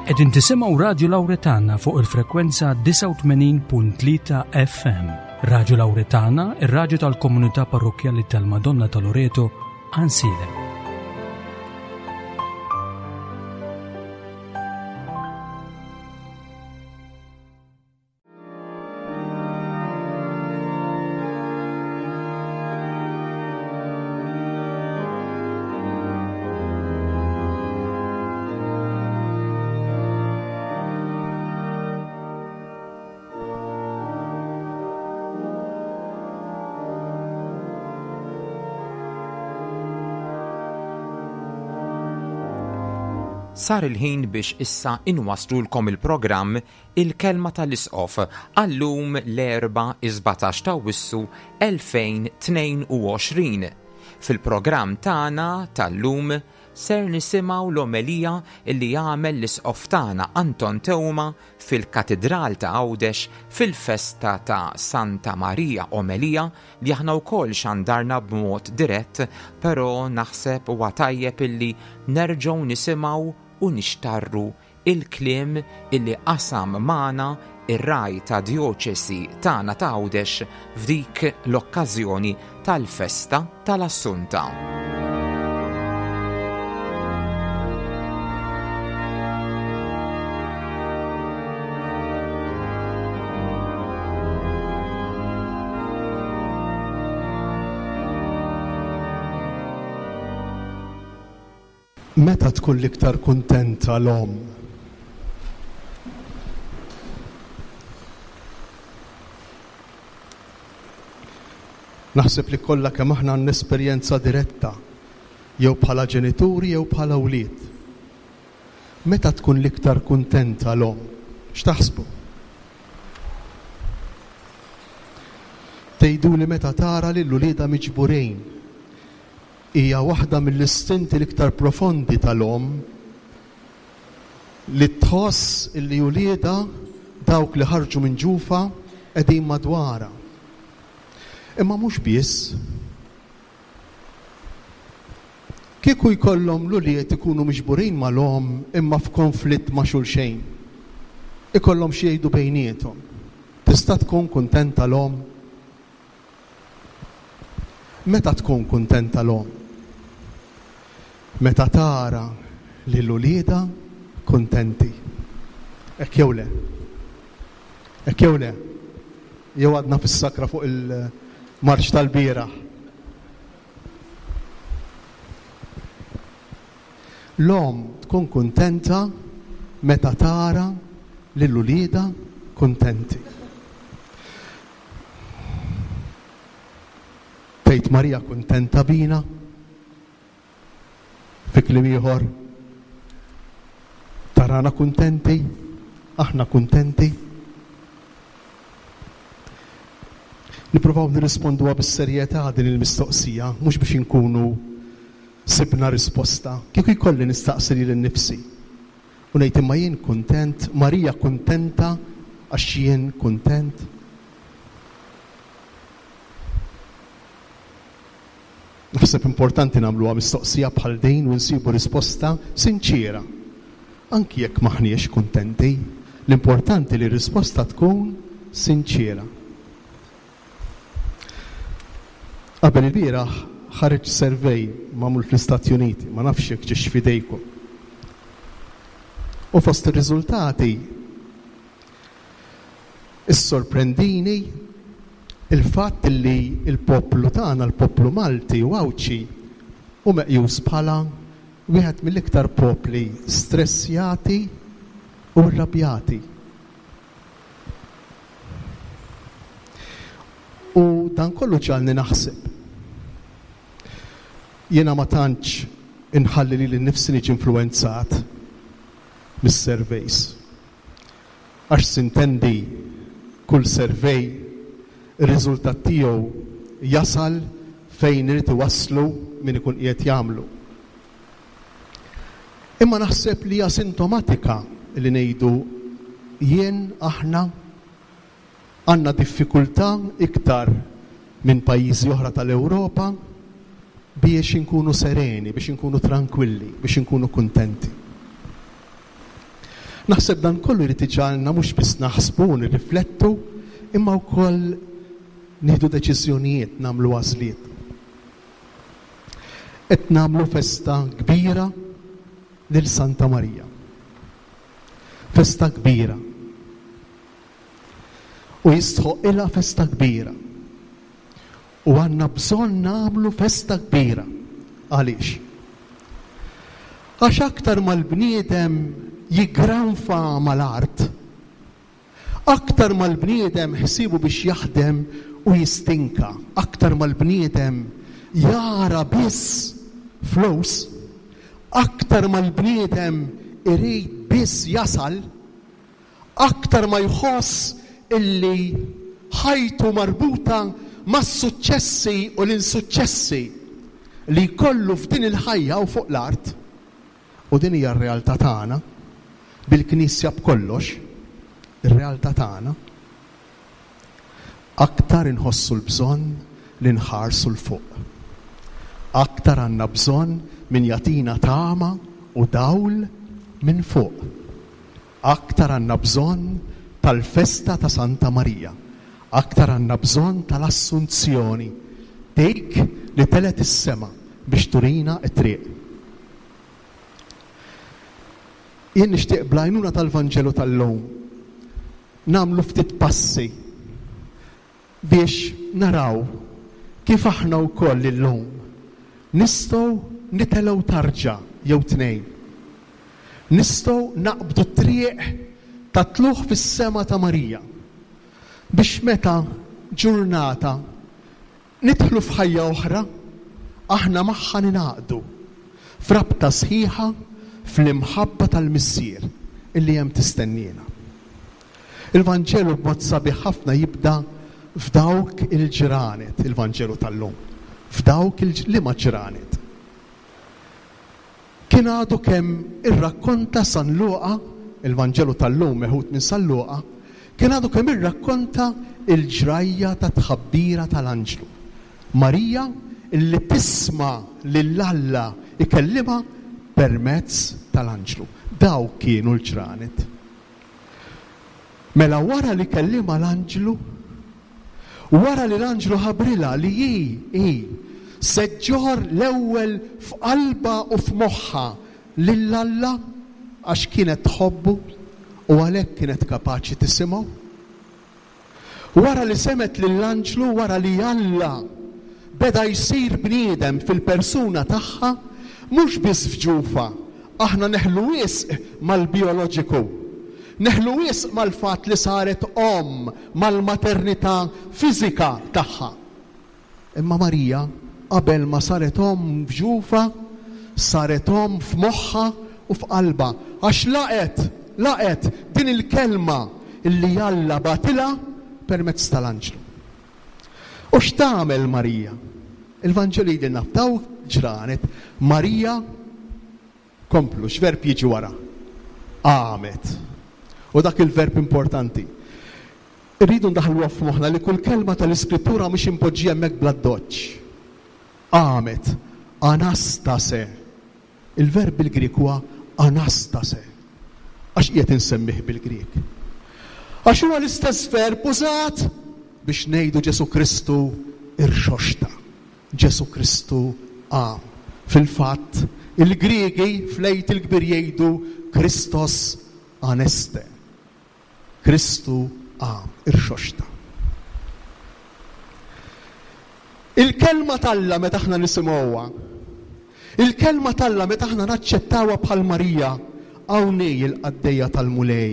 Qegħdin tisimgħu Radju Lawretana fuq il-frekwenza 89.3 FM. Radju Lawretana, ir-radju tal-komunità parrokkjali tal-Madonna ta' Loreto, Għansielem. Sar il-ħin biex issa inwaslulkom il-programm Il-Kelma tal-Isqof għal-lum l-Erbgħa is-17 t'Awwissu 2022. Fil-programm tagħna tal-lum ser nisimgħu l-omelija li għamel l-Isqof tagħna Anton Teuma fil-Katidral ta' Għawdex fil-festa ta' Santa Marija omelija li aħna wkoll xandarna b'mod dirett però naħseb huwa tajjeb illi nerġgħu nisimgħu u nixtarru il-kliem illi qasam magħna r-Ragħaj tad-Djoċesi tagħna ta' Għawdex f'dik l-okkażjoni tal-festa tal-Assunta. Meta tkun l-iktar kuntenta l-omm? Naħseb li kollha kemm aħna għandna esperjenza diretta, jew bħala ġenituri jew bħala wlied. Meta tkun l-iktar kuntenta l-omm? X'taħsbu? Tgħiduli meta tara lil uliedha miġburin Hija waħda mill-istinti l-iktar profondi tal-omm li tħoss illi uliedha, dawk li ħarġu minn ġufha, qegħdin madwarha. Imma mhux biss. Kieku jkollhom l-ulied ikunu miġburin mal-omm imma f'konflitt ma' xulxejn. Ikollhom xi jgħidu bejniethom. Tista' tkun kuntenta l-omm? Meta tkun kuntenta l-omm? Meta tara lil uliedha kuntenti. Hekk jew le? Hekk jew le? Jew għadna fis-sakra fuq il-marċ tal-bieraħ? L-omm tkun kuntenta meta tara lil uliedha kuntenti. Tgħid Marija kuntenta bina? Fi kliem ieħor, tarana kuntenti? Aħna kuntenti? Nippruvaw nirrisponduha bis-serjetà din il-mistoqsija, mhux biex inkunu sibna risposta. Kieku jkolli nistaqsi lili nnifsi u ngħid imma jien kuntent, Marija kuntenta għax jien kuntent? Naħseb importanti nagħmluha mistoqsija bħal din u nsibu risposta sinċiera. Anki jekk m'aħniex kuntenti, l-importanti li r-risposta tkun sinċiera. Qabel ilbieraħ ħareġ survey magħmul fl-Istati Uniti, ma nafx jekk ġiex f'idejkom. U fost ir-riżultati issorprendini il-fatt li l-poplu tagħna, l-poplu Malti u Għawdxi, hu meqjus bħala wieħed mill-iktar popli stressjati u rrabjati. U dan kollu ġagħalni naħseb. Jiena ma tantx inħalli lili nnifsi niġi influwenzat mis-surveys. Għax sintendi kull survey ir-riżultat tiegħu jasal fejn irid iwasslu min ikun qiegħed jagħmlu. Imma naħseb li hija sintomatika li ngħidu jien, aħna, għandna diffikultà iktar minn pajjiżi oħra tal-Ewropa biex inkunu sereni, biex inkunu trankwilli, biex inkunu kuntenti. Naħseb dan kollu jrid iġagħalna mhux biss naħsbu u nirriflettu, imma wkoll nieħdu deċiżjonijiet, nagħmlu għażliet. Qed nagħmlu festa kbira lil Santa Marija. Festa kbira. U jistħoqqilha festa kbira. U għandna bżonn nagħmlu festa kbira. Għaliex? Għax aktar ma l-bniedem jiggranfa mal-art, aktar ma l-bniedem ħsiebu biex jaħdem u jistinka, aktar ma l-bniedem jara biss flus, aktar ma l-bniedem irid biss jasal, Aktar ma jħoss illi ħajtu marbuta mas-suċċessi u l-insuċċessi li jkollu f'din il-ħajja u fuq l-art, u din hija r-realtà tagħna, bil-Knisja b'kollox, ir-realtà tagħna, aktar inħossu l-bżonn li nħarsu 'l fuq. Aktar għandna bżonn min jagħtina tama u dawl minn fuq. Aktar għandna bżonn tal-festa ta' Santa Marija. Aktar għandna bżonn tal-Assunzjoni, dik li telgħet is-sema biex turina t-triq. Jien nixtieq bl-għajnuna tal-Vanġelu tal-lum nagħmlu ftit passi biex naraw kif aħna wkoll illum nistgħu nitelgħu tarġa jew tnejn. Nistgħu naqbdu t-triq tat-tlugħ fis-sema ta' Marija biex meta ġurnata Nidħlu f'ħajja oħra, aħna magħha ningħaqdu f'rabta sħiħa fl-imħabba tal-Missier illi hemm tistenniena. Il-Vanġelu b'mod sabiħ ħafna jibda f'dawk il-ġranet, il-Vanġelu tal-lum, f'dawk il liema ġranet? Kien għadu kemm irrakkonta San Luqa, il-Vanġelu tal-lum meħud minn San Luqa, kien għadu kemm irrakkonta l-ġrajja tat-tħabbira tal-anġlu. Marija li tisma' lil Alla jkellimha permezz tal-anġlu. Dawk kienu l-ġranet. Mela wara li kellimha l-anġlu, wara li l-anġlu ħabbrilha li hi, hi, se ġġorr l-ewwel f'qalbha u f'moħħha lil Alla għax kienet tħobbu u għalhekk kienet kapaċi tisimgħu. Wara li semgħet lill-anġlu, wara li Alla beda jsir bniedem fil-persuna tagħha, mhux biss f'ġufha, aħna neħlu wisq mal-bijoloġiku. Neħlu wisq mal-fatt li saret omm, mal-maternità fiżika tagħha. Imma Marija, qabel ma saret omm f'ġufha, saret omm f'moħħha u f'qalbha, għax laqgħet, laqgħet din il-kelma li Alla bagħtilha permezz tal-anġlu. U x'tagħmel Marija? Il-Vanġelu jgħidilna f'dawk il-ġranet Marija Komplu, x'verb jiġi wara? Qamet. U dak il-verb importanti. Irridu ndaħħluha f'moħħna li kull kelma tal-Iskrittura mhix impoġġija hemmhekk bl-addoċċ. Qamet. Anastase. Il-verb bil-Grieg huwa anastase. Għax qiegħed insemmih bil-Grieg? Għax huwa l-istess verb użat biex ngħidu Ġesù Kristu irxoxta. Ġesù Kristu qam. Fil-fatt, il-Griegi fl-Għid il-Kbir jgħidu Christos aneste. Kristu qam, irxoxta. Il-Kelma t'Alla meta aħna nisimgħuha, il-Kelma t'Alla meta aħna naċċettawha bħal Marija, hawn hi l-qaddejja tal-Mulej,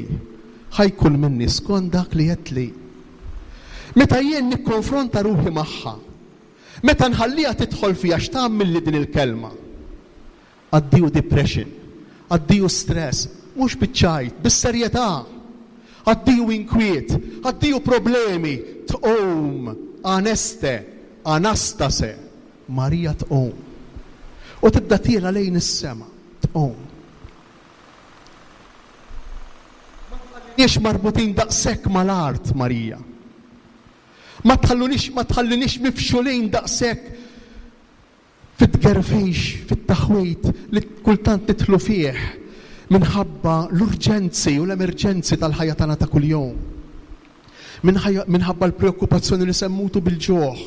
ħa jkun minni skont dak li għedtli. Meta jien nikkonfronta ruħi magħha, Meta nħalliha tidħol fija x'tagħmilli din il-kelma? Addio depression, addio stress, mhux biċ-ċajt, bis-serjetà. Addio inkwiet, addio problemi, tqum, aneste, anastase, Marija tqum. U tibda tiela' lejn is-sema, tqum. Ma tħalliniex marbutin daqshekk mal-art, Marija. Ma tħallunix, ma tħallinix mifxulin daqshekk fit-tgerfix, fit-taħwid li kultant nidħlu fih. Minħabba l-urġenzi u l-emerġenzi tal-ħajja tagħna ta' kuljum. Minħabba l-preokkupazzjoni li se mmutu bil-ġuħ.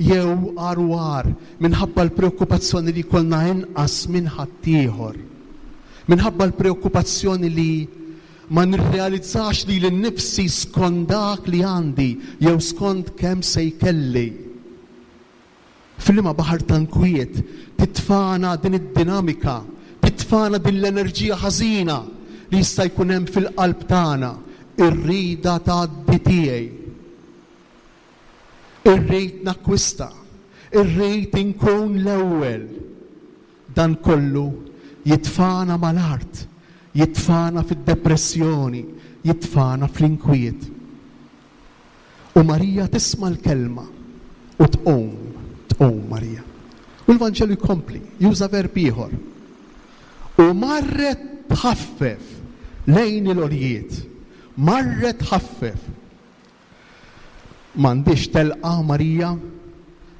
Jew, agħar u agħar, minħabba l-preokkupazzjoni li jkollna inqas minn ħaddieħor. Minħabba l-preokkupazzjoni li ma nirrealizzax lili nnifsi skont dak li għandi jew skont kemm se jkelli. F'liema baħar ta' nkwiet titfagħna din id-dinamika, titfagħna din l-enerġija ħażina li jista' jkun hemm fil-qalb tagħna, ir-rieda tgħaddi tiegħi. Irrid nakkwista, irrid inkun l-ewwel. Dan kollu jitfagħna mal-art, jitfagħna fid-depressjoni, jitfagħna fl-inkwiet. U Marija tisma' l-kelma u tqum, tqum Marija. U l-Vanġelu jkompli, juża verb ieħor. U marret tħaffef lejn il-għoljiet. Marret tħaffef. M'għandhiex telqa Marija?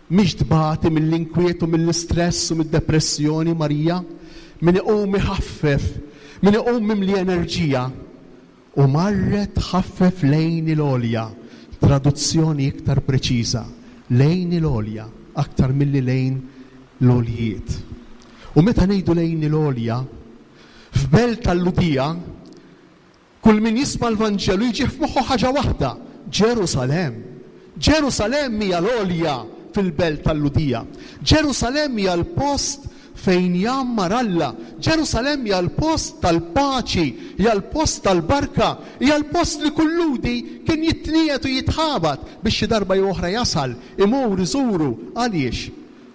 Mhix tbati mill-inkwiet u mill-istress u mid-depressjoni Marija? Min iqum iħaffef, min iqum mimli enerġija, U marret tħaffef lejn il-għolja, traduzzjoni iktar preċiża, lejn il-għolja, aktar milli lejn l-għoljiet. U meta ngħidu lejn il-għolja, f'belt tal-Lhudija, kull min jisma' l-Vanġelu jiġih f'moħħu ħaġa waħda, Ġerusalemm. Ġerusalemm hija l-għolja fil-belt tal-Lhudija. Ġerusalemm hija l-post fejn jgħammar Alla. Ġerusalemm hija l-post tal-paċi, hija l-post tal-barka, hija l-post li kull Lhudi kien jitniegħed u jitħabat biex xi darba jew oħra jasal, imur iżuru. Għaliex?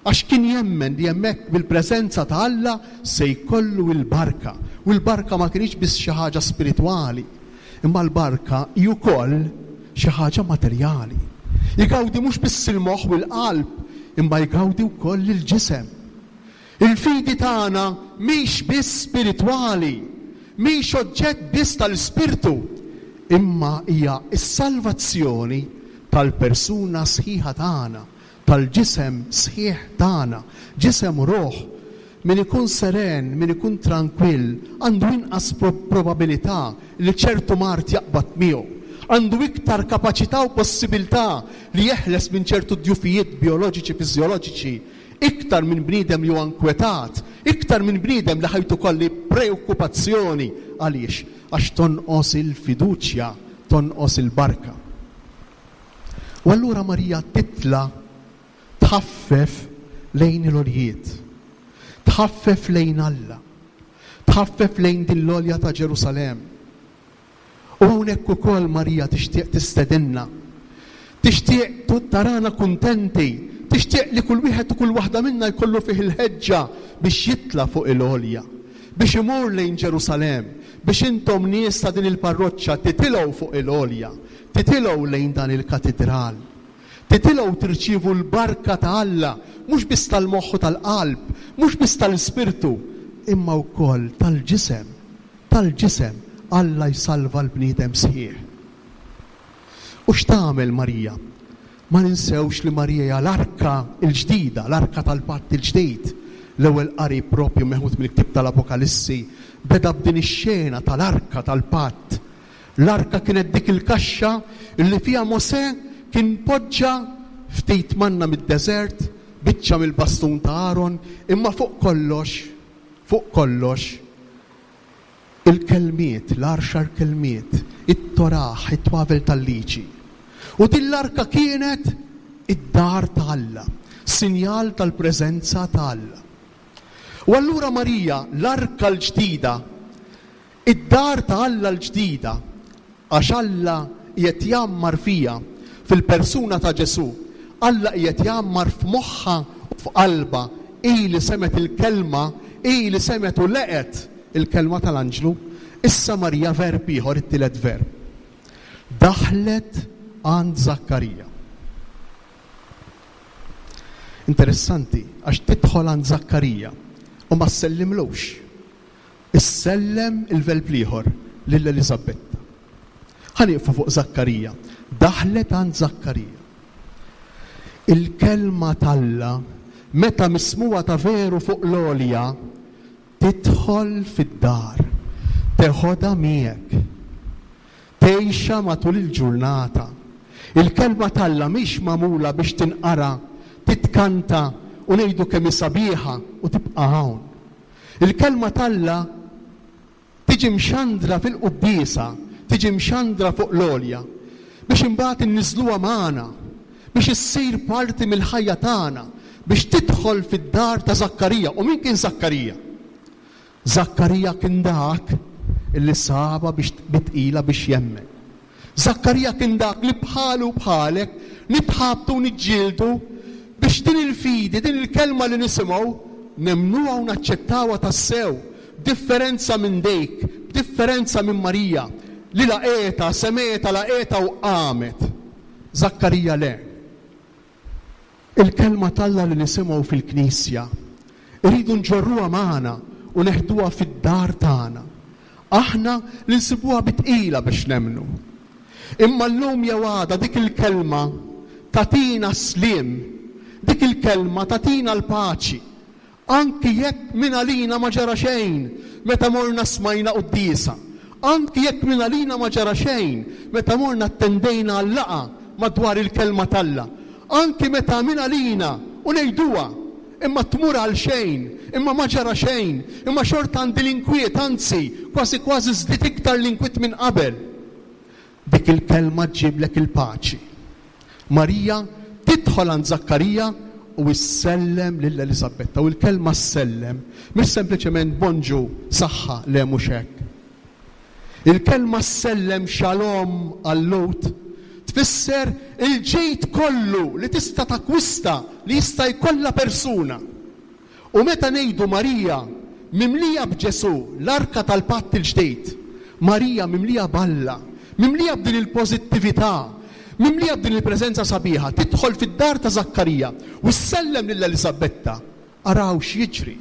Għax kien jemmen li hemmhekk bil-preżenza ta' Alla se jkollu l-barka. U l-barka ma kinitx biss xi ħaġa spiritwali, imma l-barka hi wkoll xi ħaġa materjali. Jgawdi mhux biss il-moħħ u l-qalb, imma jgawdi wkoll il-ġisem. Il-fidi tagħna mhix biss spiritwali, mhix oġġett biss tal-ispirtu, imma hija s-salvazzjoni tal-persuna sħiħa tagħna, tal-ġisem sħiħ tagħna, ġisem u ruħ. Min ikun seren, min ikun trankwill, għandu inqas probabilità li ċertu mard jaqbad miegħu. Għandu iktar kapaċità u possibilità li jeħles minn ċertu djufijiet bijoloġiċi fiżjoloġiċi iktar minn bniedem li huwa nkwetat, iktar minn bniedem li ħajtu kollha hi preokkupazzjoni. Għaliex? Għax tonqos il-fiduċja, tonqos il-barka. U allura Marija titla' tħaffef lejn il-għoljiet, tħaffef lejn Alla, tħaffef lejn din l-għolja ta' Ġerusalemm. U hawnhekk ukoll Marija tixtieq tistedinna, tixtieq tarana kuntenti, tixtieq li kull wieħed u kull waħda minna jkollu fih il-ħeġġa biex jitla' fuq il-għolja, biex imur lejn Ġerusalemm, biex intom nies ta' din il-parroċċa titilgħu fuq il-għolja, titilgħu lejn dan il-katidral. Titilgħu tirċievu l-barka ta' Alla, mhux biss tal-moħħ u tal-qalb, mhux biss tal-ispirtu, imma wkoll tal-ġisem. Tal-ġisem, Alla jsalva l-bniedem sħiħ. U x'tagħmel Marija? Ma ninsewx li Marija hija l-arka l-ġdida, l-arka tal-patt il-ġdid. L-ewwel qari proprju meħud mill-ktieb tal-Apokalissi beda b'din ix-xena tal-arka tal-patt. L-arka kienet dik il-kaxxa li fiha Mosè kien poġġa ftit manna mid-deżert, biċċa mill-bastun ta' Aron, imma fuq kollox, fuq kollox, il-kelmiet, l-għaxar kelmiet, it-Torah, it-twavel tal-Liġi. U din l-arka kienet id-dar ta' Alla, sinjal tal-preżenza ta' Alla. U allura Marija, l-arka l-ġdida, Id-dar ta' Alla l-ġdida, għax Alla qiegħed jgħammar fiha, fil-persuna ta' Ġesù. Alla qiegħed jgħammar f'moħħha u f'qalbha, hi li semgħet il-kelma, hi li semgħet u leqgħet il-kelma tal-anġlu. Issa Marija verb ieħor, it-tielet verb. Daħlet għand Żakkarija. Interessanti, għax tidħol għand Żakkarija u ma ssellimlux. Issellem il-velb l-ieħor lil Eliżabetta. Ħa nieqfu fuq Żakkarija. Daħlet għand Żakkarija. Il-kelma t'Alla, meta mismugħa ta' veru fuq l-għolja, tidħol fid-dar. Teħodha miegħek. Tgħixha matul il-ġurnata. Il-Kelma t'Alla mhix magħmula biex tinqara, titkanta u ngħidu kemm hi sabiħa u tibqa' hawn. Il-Kelma t'Alla tiġi mxandra fil-quddiesa, tiġi mxandra fuq l-għolja, biex imbagħad inniżżluha magħna, biex issir parti mill-ħajja tagħna, biex tidħol fid-dar ta' Żakkarija. U min kien Żakkarija? Żakkarija kien dak li sabha biex bi tqila biex jemmen. Żakkarija kien dak li bħalu u bħalek nitħabtu u niġġieldu biex din il-fidi, din il-kelma li nisimgħu, nemmnuha u naċċettawha tassew, b'differenza minn dik, b'differenza minn Marija, li laqgħetha, semgħetha, laqgħetha u qamet. Żakkarija le. Il-Kelma t'Alla li nisimgħu fil-knisja, irridu nġorruha magħna u neħduha fid-dar tagħna. Aħna li nsibuha bi tqila biex nemmnu. Imma llum jew għada dik il-Kelma tagħtina s-sliem, dik il-Kelma tagħtina l-paċi. Anki jekk mingħalina ma ġara xejn meta morna smajna quddiesa. Anki jekk mingħalina ma ġara xejn meta morna attendejna għal laqgħa madwar il-Kelma t'Alla. Anki meta mingħalina, u ngħiduha, imma tmur għalxejn, imma ma ġara xejn, imma xorta għandi l-inkwiet, anzi, kważi kważi żdied iktar l-inkwiet minn qabel. Dik il-kelma ġġiblek il-paċi. Marija tidħol għand Żakkarija u ssellem lil Eliżabetta. U l-kelma ssellem mhix sempliċement bonġu, saħħa, le mhux hekk. Il-kelma ssellem shalom għal-Lhud tfisser il-ġid kollu li tista' takkwista, li jista' jkollha persuna. U meta ngħidu Marija mimlija b'Ġesù, l-arka tal-patt il-ġdid, Marija mimlija b'Alla, mimlija b'din il-pożittività, mimlija b'din il-preżenza sabiħa, tidħol fid-dar ta' Żakkarija u ssellem lil Eliżabetta, araw x'jiġri.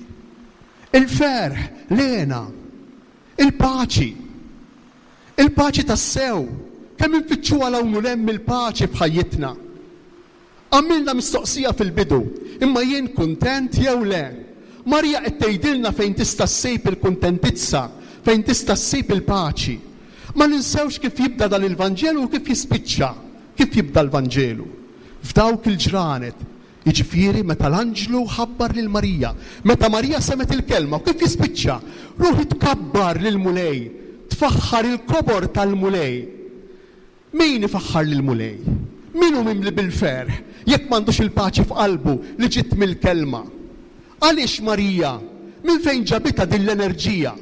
Il-ferħ, l-hena, il-paċi. Il-paċi tassew, kemm infittxuha 'l hawn u 'l hemm il-paċi f'ħajjitna. Għamilna mistoqsija fil-bidu, imma jien kuntent jew le? Marija qed tgħidilna fejn tista' ssib il-kuntentizza, fejn tista' ssib il-paċi. Ma ninsewx kif jibda dan il-Vanġelu u kif jispiċċa. Kif jibda l-Vanġelu? F'dawk il-ġranet, jiġifieri meta l-anġlu ħabbar lil Marija, meta Marija semgħet il-kelma, u kif jispiċċa? Ruħi tkabbar lill-Mulej, tfaħħar il-kobor tal-Mulej. Min ifaħħar lill-Mulej? Min hu mimli bil-ferħ jekk m'għandux il-paċi f'qalbu li ġiet mill-Kelma? Għaliex Marija, minn fejn ġabitha din l-enerġija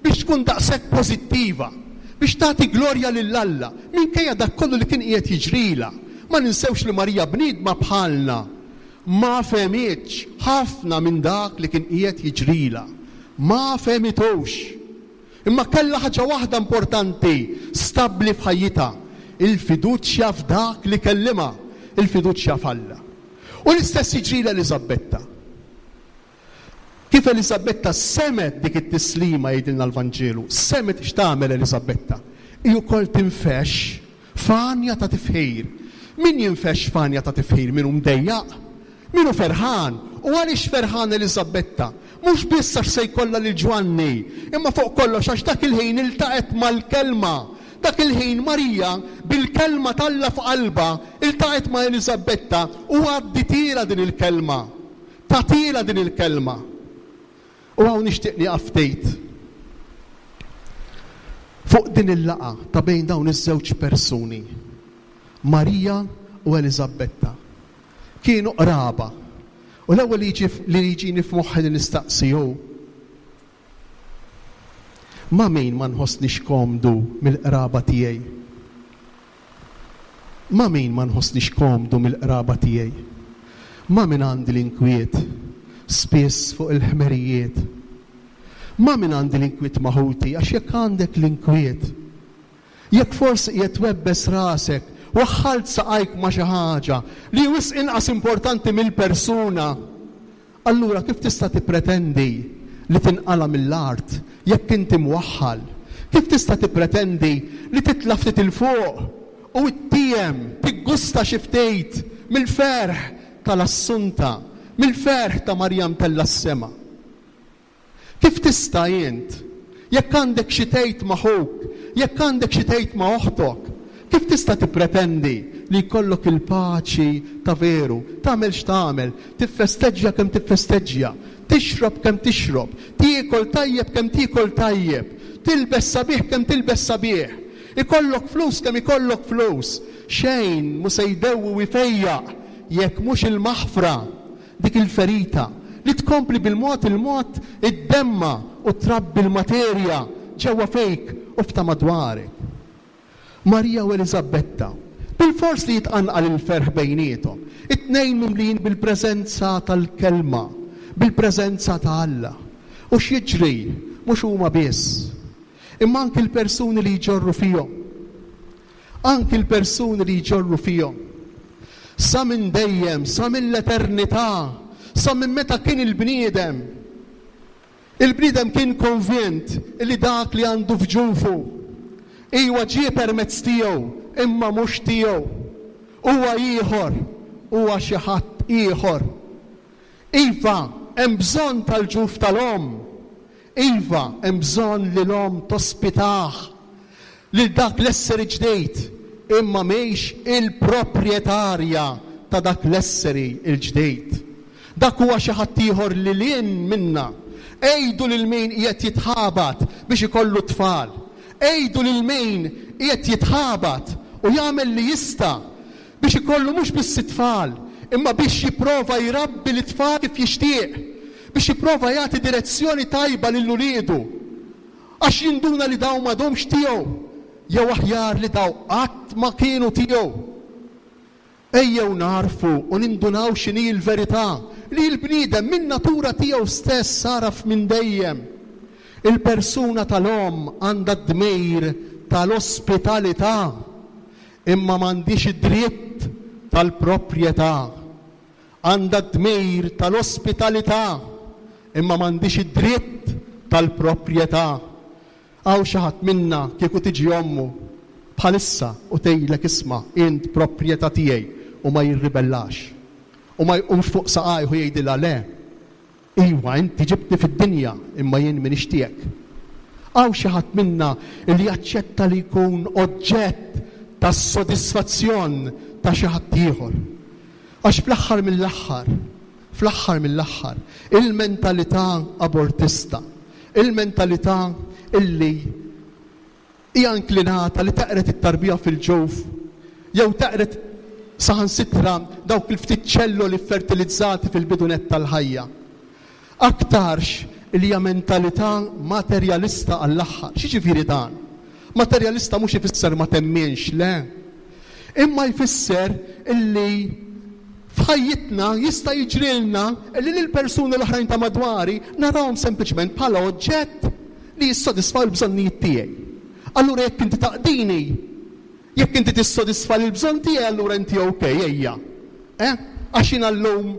biex tkun daqshekk pożittiva, biex tagħti glorja lil Alla minkejja dak kollu li kien qiegħed jiġrilha? Ma ninsewx li Marija bniedma bħalna, ma fehmitx ħafna minn dak li kien qiegħed jiġrilha. Ma fehmitux. Imma kellha ħaġa waħda importanti stabbli f'ħajjitha, il-fiduċja f'dak li kellimha, il-fiduċja f'Alla. U l-istess jiġri l-Eliżabetta. Kif Eliżabetta semgħet dik it-tislima jgħidilna l-Vanġelu, semgħet x'tagħmel Eliżabetta. Hi wkoll tinfexx F'għanja ta' tifħir. Min jinfexx f'għanja ta' tifħir? Min hu mdejjaq? Min hu ferħan? U għaliex ferħan Eliżabetta? Mhux biss għax se jkollha lil Ġwanni, imma fuq kollox għax dak il-ħin iltaqgħet mal-Kelma. Dak il-ħin Marija, bil-Kelma t'Alla f'qalbha, iltaqgħet ma' Eliżabetta u għadditielha din il-Kelma. Tagħtielha din il-Kelma. U hawn nixtieq nieqaf ftit fuq din il-laqgħa ta' bejn dawn iż-żewġ persuni, Marija u Eliżabetta. Kienu qraba. U l-ewwel li jiġi li jiġini f'moħħi li nistaqsi hu, Ma' min ma nħossnix komdu mill-qraba tiegħi? Ma' min ma nħossnix komdu mill-qraba tiegħi? Ma' min għandi l-inkwiet, spiss fuq il-ħmerijiet? Ma' min għandi l-inkwiet ma' ħuti? Għax jekk għandek l-inkwiet, jekk forsi qiegħed twebbes rasek, waħħalt saqajk ma' xi ħaġa li hi wisq inqas importanti mill-persuna, Allura kif tista' tippretendi li tinqala' mill-art jekk inti mwaħħal? Kif tista' tippretendi li titla' ftit 'il fuq u ittiem, tiggusta xi ftit mill-ferħ tal-Assunta, mill-ferħ ta' Marija mtellgħa s-sema? Kif tista' int? Jekk għandek xi tgħid ma' ħuk, jekk għandek xi tgħid ma' oħtok, kif tista' tippretendi li jkollok il-paċi ta' veru? Tagħmel x'tagħmel, tiffesteġġja kemm tiffesteġġja, tixrob kemm tixrob, tiekol tajjeb kemm tiekol tajjeb, tilbes sabiħ kemm tilbes sabiħ, ikollok flus kemm ikollok flus, xejn mhu se jdewwi u jfejjaq jekk mhux il-maħfra. Dik il-ferita, li tkompli bil-mod il-mod iddemma' u trabbi l-materja ġewwa fik u f'ta' madwarek. Marija u Eliżabetta, bilfors li jitqanqal il-ferħ bejniethom, it-tnejn mimlijin bil-preżenza tal-Kelma, bil-preżenza ta' Alla. U x'jiġri? Mhux huma biss, imma anki l-persuni li jġorru fihom. Anki l-persuni li jġorru fihom. Sa minn dejjem, sa mill-eternità, sa minn meta kien il-bniedem, il-bniedem kien konvint li dak li għandu f'ġufu, iwa ġie permezz tiegħu, imma mhux tiegħu. Huwa ieħor, huwa xi ħadd ieħor. Iva, hemm bżonn tal-ġuf tal-omm. Iva, hemm bżonn li l-omm tospitah lil dak l-esseri ġdid, imma mhix il-proprjetarja ta' dak l-esseri l-ġdid. Dak huwa xi ħadd ieħor lil hinn minna. Għidu lil min qiegħed jitħabat biex ikollu t-tfal. Għidu lil min qiegħed jitħabat u jagħmel li jista' biex ikollu mhux biss it-tfal, imma biex jipprova jrabbi lit-tfal kif jixtieq, biex jipprova jagħti direzzjoni tajba lil uliedu, għax jinduna li dawn m'għadhomx tiegħu, jew aħjar li dawn qatt ma kienu tiegħu. Ejjew nagħrfu u nindunaw x'inhi l-verità, li l-bniedem min-natura tiegħu stess għaraf minn dejjem. Il-persuna tal-omm għandha d-dmir tal-ospitalità. Imma m'għandhiex id-dritt tal-proprjetà. Għandha d-dmir tal-ospitalità, imma m'għandhiex id-dritt tal-proprjetà. Hawn xi ħadd minna kieku tiġi ommu bħalissa u tgħidlek isma' int proprjetà tiegħi u ma jirribellax u ma jqumx fuq saqajh u jgħidilha le, Iwa, inti ġibtni fid-dinja, imma jien m'iniex tiegħek. Hawn xi ħadd minna li jaċċetta li jkun oġġett tas-sodisfazzjon ta' xi ħadd ieħor? Għax fl-aħħar mill-aħħar, fl-aħħar mill-aħħar, il-mentalità abortista, il-mentalità illi Hija inklinata li teqred it-tarbija fil-ġuf jew teqred saħansitra dawk il-ftit ċelloli ffertilizzati fil-bidu nett tal-ħajja. Aktarx li hija mentalità materjalista għall-aħħar. X'jiġifieri dan? Materjalista mhux ifisser ma temminx, le. Imma jfisser illi f'ħajjitna jista' jiġrilna illi lill-persuni l-oħrajn ta' madwari narahom sempliċement bħala oġġett li jissodisfaw il-bżonnijiet tiegħi. Allura jekk inti taqdini, jekk inti tissodisfa l-bżonn tiegħi allura inti ok, ejja. Eh? Għax jiena llum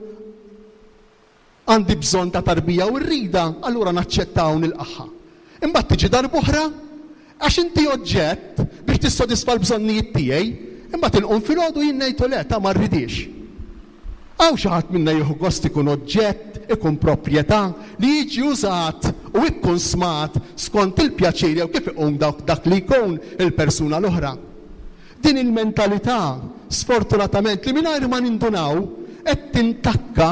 għandi bżonn ta' tarbija u rridha, allura naċċettha u nilqagħha. Imbagħad tiġi darb'oħra, għax inti oġġett biex tissodisfa l-bżonnijiet tiegħi, imbagħad inqum filgħodu jien ngħid le ta' ma rridhiex. Hawn xi ħadd minna jieħu gost ikun oġġett, ikun proprjetà, li jiġi użat u ikkunsmat skont il-pjaċir jew kif iqum dawk dak li jkun il-persuna l-oħra. Din il-mentalità, sfortunatament, li mingħajr ma nindunaw qed tintakka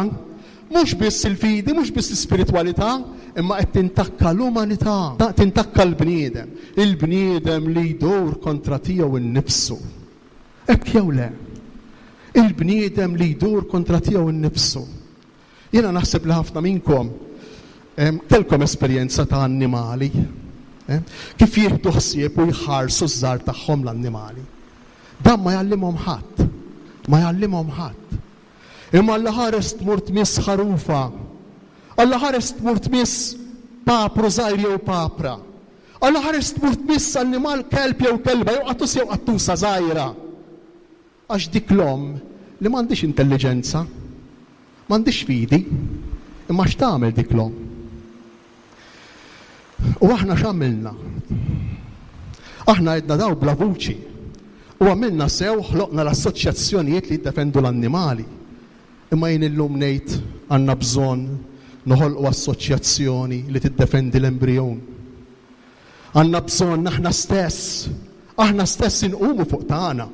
mhux biss il-fidi, mhux biss l-ispiritwalità, imma qed tintakka l-umanità, tintakka l-bniedem, il-bniedem li jdur kontra tiegħu nnifsu. Hekk jew le? Il-bniedem li jdur kontra tiegħu nnifsu. Jiena naħseb li ħafna minnkom kellkom esperjenza ta' annimali. Kif jieħdu ħsieb u jħarsu ż-żgħar tagħhom l-annimali. Dan ma jgħallimhom ħadd. Ma jgħallimhom ħadd. Imma Alla ħares tmur tmiss ħarufa. Alla ħares tmur tmiss papru żgħir jew papra. Alla ħares tmur tmiss annimal kelb jew kelba jew qattus jew qattusa żgħira. Għax dik l-omm li m'għandhiex intelliġenza, m'għandhiex fidi, imma x'tagħmel dik l-omm? U aħna x'għamilna? Aħna għedna daw bla vuċi. U għamilna sew ħloqna l-assoċjazzjonijiet li jiddefendu l-annimali. Imma jien illum ngħid għandna bżonn noħolqu assoċjazzjoni li tiddefendi l-embrijun. Għandna bżonn aħna stess, aħna stess inqumu fuq tagħna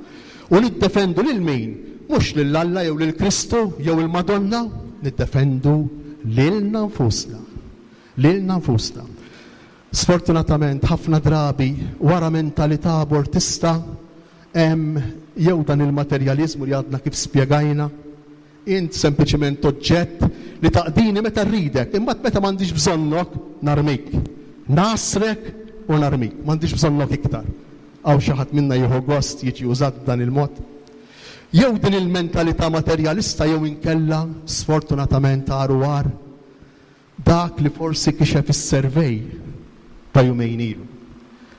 u niddefendu lil min? Mhux lil Alla jew lil Kristu jew il-Madonna, niddefendu lilna nfusna. Lilna nfusna. Sfortunatament ħafna drabi wara mentalità abortista hemm jew dan il-materjaliżmu li għadna kif spjegajna, Int sempliċement oġġett li taqdini meta rridek, imbagħad meta m'għandix bżonnok, narmik. Ngħassrek u narmik. M'għandix bżonnok iktar. Hawn xi ħadd minna jieħu gost jiġi użat b'dan il-mod? Jew din il-mentalità materjalista jew inkella, sfortunatament agħar u agħar, Dak li forsi kixef is-survey ta' jumejn ilu.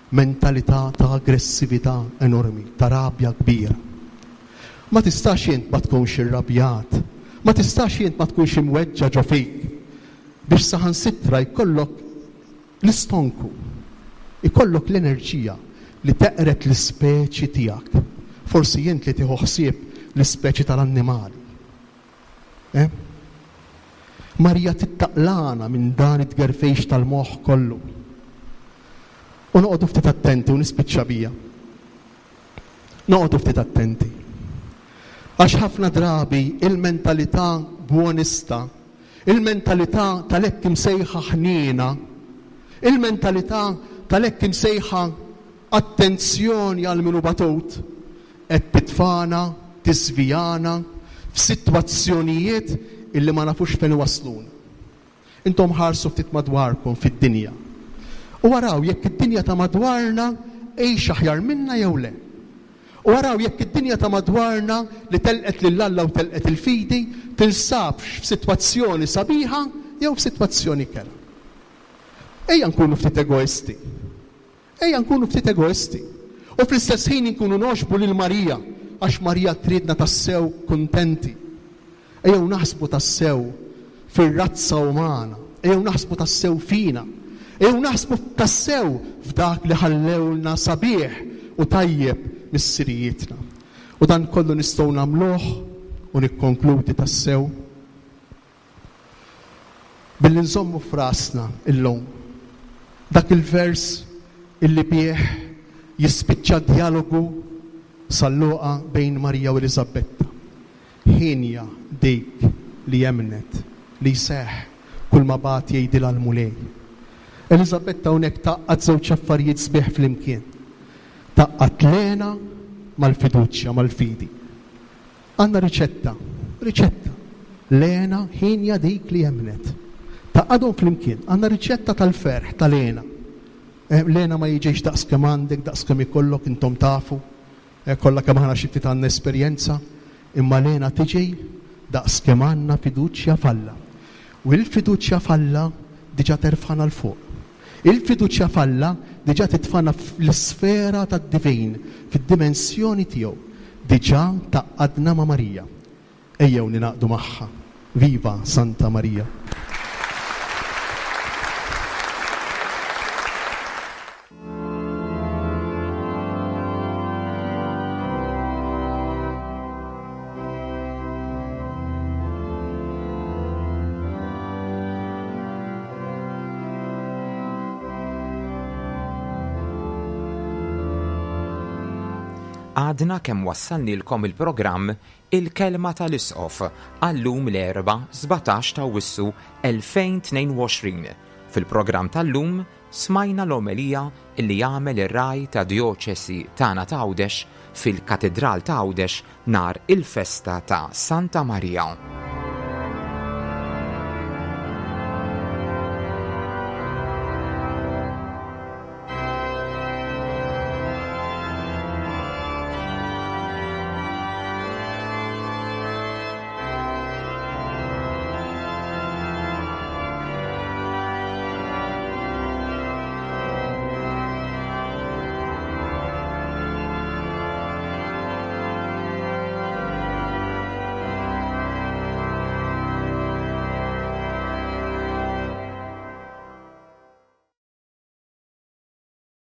Mentalità ta' aggressività enormi, ta' rabja kbira. Ma tistax int ma tkunx irrabjat, ma tistax int ma tkunx imweġġa' ġo fik biex saħansitra jkollok l-istonku, ikollok l-enerġija li teqred l-ispeċi tiegħek. Forsi int li tieħu ħsieb l-ispeċi tal-annimali. Eh? Marija tittaqlana minn dan it-tgerfejx tal-moħħ kollu. U noqogħdu ftit attenti u nispiċċa bija. Noqogħdu ftit attenti. Għax ħafna drabi il-mentalità buonista, il-mentalità tal-hekk imsejħa ħniena, il-mentalità tal-hekk imsejħa attenzjoni għal min hu batut, Qed titfagħna, tiżvijana f'sitwazzjonijiet illi ma nafux fejn iwassluna. Intom ħarsu ftit madwarkom fid-dinja u araw jekk id-dinja ta' madwarna hix aħjar minna jew le. U araw jekk id-dinja ta' madwarna li telqet lil Alla u telqet il-fidi tinsabx f'sitwazzjoni sabiħa jew f'sitwazzjoni kerha. Ejja nkunu ftit egoisti. Ejja nkunu ftit egoisti u fl-istess ħin inkunu nogħġbu lil Marija għax Marija tridna tassew kuntenti. Ejjew naħsbu tassew fir-razza umana, ejjew naħsbu tassew fina, ejjew naħsbu tassew f'dak li ħallewlna sabiħ u tajjeb missirijietna. U dan kollu nistgħu nagħmluh u nikkonkludi tassew Billi nżommu f'rasna illum dak il-vers illi bih jispiċċa d-djalogu San Luqa bejn Marija u Eliżabetta, Hienja dik li emmnet li jseħħ kulma bagħat jgħidilha l-Mulej. Eliżabetta hawnhekk tgħaqqad żewġ affarijiet sbieħ flimkien. Tgħaqqad l-hena mal-fiduċja, mal-fidi. Għandna riċetta, riċetta. L-hena hienja dik li emmnet. Tgħaqqadhom flimkien. Għandna riċetta tal-ferħ, tal-hena. L-hena ma jiġix daqs kemm għandek, daqs kemm ikollok, intom tafu. Kollha kemm aħna xi ftit għandna esperjenza. Imma l-hena tiġi daqs kemm għandna fiduċja f'Alla. U l-fiduċja f'Alla diġà terfagħna 'l fuq. Il-fiduċja f'Alla diġà titfagħna fl-isfera tad-divin, fid-dimensjoni tiegħu. Diġà tgħaqqadna ma' Marija. Ejjew ningħaqdu magħha. Viva Santa Marija! Għadna kemm wassalnilkom il-programm Il-Kelma tal-Isqof għal-lum l-Erbgħa 17 ta' Awwissu 2022. Fil-programm tal-lum Smajna l-omelija li għamel ir-Ragħaj tad-Djoċesi tagħna ta' Għawdex fil-Katidral ta' Għawdex nhar il-festa ta' Santa Marija.